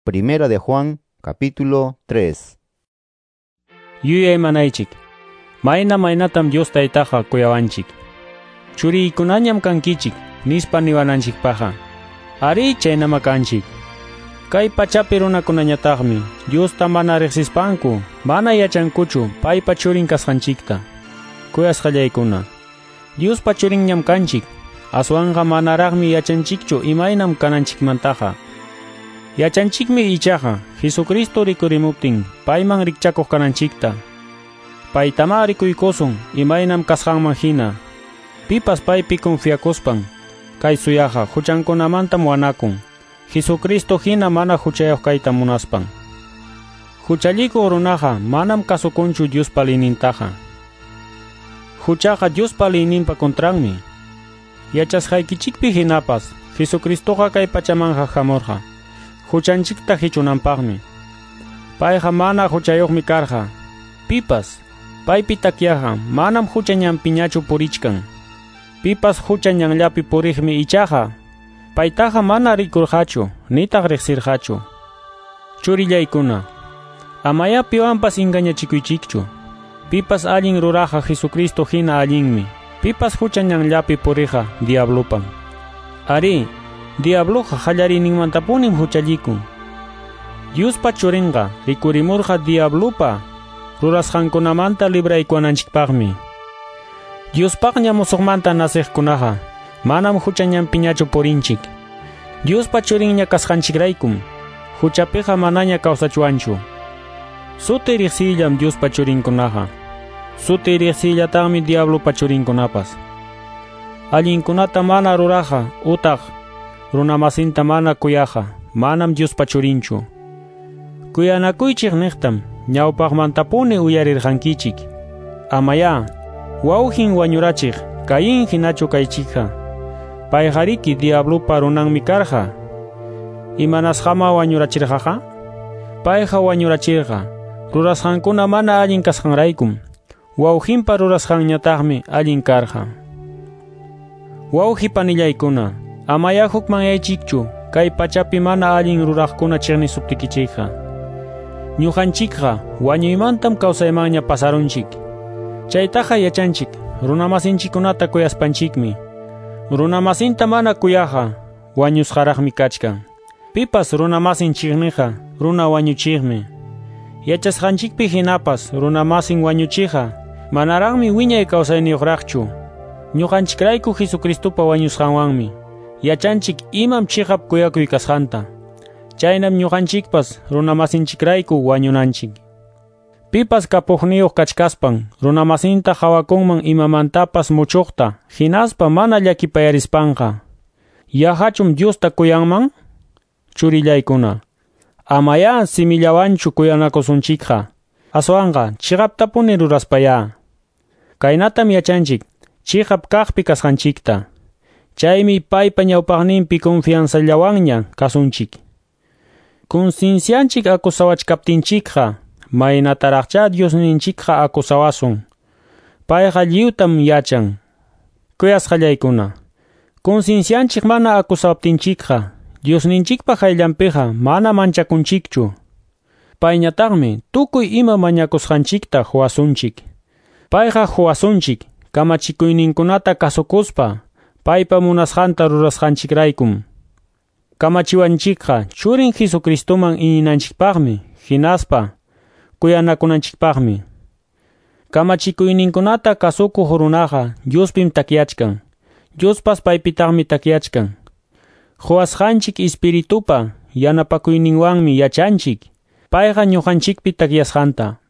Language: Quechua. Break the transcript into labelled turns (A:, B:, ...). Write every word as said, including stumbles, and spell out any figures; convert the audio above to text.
A: Primera de Juan, capítulo tres.
B: Yuyaymanaychik. Mayna maynatam Dios taytaqa kuyawanchik. Churiykunañam kankichik, nispa niwananchikpaqa. Ari chaynama kanchik. Kay pachapi runakunañataqmi Diosta mana riqsispanku, mana yachankuchu paypa churin kasqanchikta. Kuyasqallaykuna, Diospa churinñam kanchik, aswanqa manaraqmi yachanchikchu imaynam kananchikmantaqa. Yachanchikmi ichaqa Jesucristo rikurimuptin payman rikchakuq kananchikta. Paytama rikuykusun imaynam kasqanman hina. Pipas paypi confiakuspan kay suyaqa huchankunamantam wanakun. Jesucristo hina mana huchayuq kayta munaspan. Huchallikuq runaqa manam kasukunchu Diospa liynintaqa. Huchaqa Diospa liyninpa contranmi. Yachasqaykichikpi hinapas Jesucristoqa kay pachamanqa hamurqa huchanchikta hichunanpaqmi. Payqa mana huchayuqmi karqa. Pipas paypi takyaqa manam hucha ñanpiñachu purichkan. Pipas hucha ñanllapi puriqmi ichaqa paytaqa mana rikurqachu nitaq riqsirqachu. Churillaykuna, amaya piwanpas engañachikuychikchu. Pipas allin ruraqa Jesucristo hina allinmi. Pipas hucha ñanllapi puriqa diablupan. Ari, diabluqa qallariyninmantapunim huchallikun. Diospa churinqa rikurimurqa diablupa rurasqankunamanta libraykuwananchikpaqmi. Diospaqña musuqmanta nasiqkunaqa manam hucha ñanpiñachu purinchik. Diospa churinña kasqanchikraykum huchapiqa manaña kawsachuwanchu. Suti riqsiyllam Diospa churinkunaqa. Suti riqsiyllataqmi diablupa churinkunapas. Allinkunata mana ruraqa utaq runamasinta mana kuyaqa manam Diospa churinchu. Kuyanakuychik niqtam ñawpaqmantapuni uyarirqankichik. Amaya wawqin wañurachiq Caín hinachu kaychikqa. Payqariki diablupa runanmi karqa. Imanasqama wañurachirqaqa? Payqa wañurachirqa rurasqankuna mana allin kasqanraykum. Wawqinpa rurasqanñataqmi allin karqa. Wawqi panillaykuna, amaya hukmanyaychikchu kay pachapi mana allin ruraqkuna chiqnisuptikichikqa. Ñuqanchikqa wañuymantam kawsaymanña pasarunchik. Chaytaqa yachanchik runamasinchikkunata kuyaspanchikmi. Runamasinta mana kuyaqa wañusqaraqmi kachkan. Pipas runamasin chiqniqa runa wañuchiqmi. Yachasqanchikpi hinapas runamasin wañuchiqa manaraqmi wiñay kawsayniyuqraqchu. Ñuqanchikrayku Jesucristopa wañusqanwanmi yachanchik imam chiqap kuyakuy kasqanta. Chaynam ñuqanchikpas runamasinchikrayku wañunanchik. Pipas kapuqniyuq kachkaspan runamasinta hawakunman imamantapas muchuqta hinaspa mana llakipayarispanqa, yahachum Diosta kuyanman? Churillaykuna, amaya simillawanchu kuyanakusunchikqa, aswanqa chiqaptapuni ruraspaya. Kaynatam yachanchik chiqap kaqpi kasqanchikta. Chaymi paypa ñawpaqninpi confianzallawanña kasunchik. Conciencianchik acusawachkaptinchikqa maynataraqcha Diosninchikqa acusawasun. Payqa lliwtam yachan. Kuyasqallaykuna, conciencianchik mana acusawaptinchikqa Diosninchikpa hayllanpiqa mana manchakunchikchu. Payñataqmi tukuy ima mañakusqanchikta huwasunchik. Payqa huwasunchik kamachikuyninkunata kasukuspa paypa munasqanta rurasqanchikraykum. Kamachiwanchikqa churin Jesucristoman iñinanchikpaqmi hinaspa kuyanakunanchikpaqmi. Kamachikuyninkunata kasukuq runaqa Diospim takyachkan. Diospas paypitaqmi takyachkan. Huwasqanchik espiritupa yanapakuyninwanmi yachanchik payqa ñuqanchikpi takyasqanta.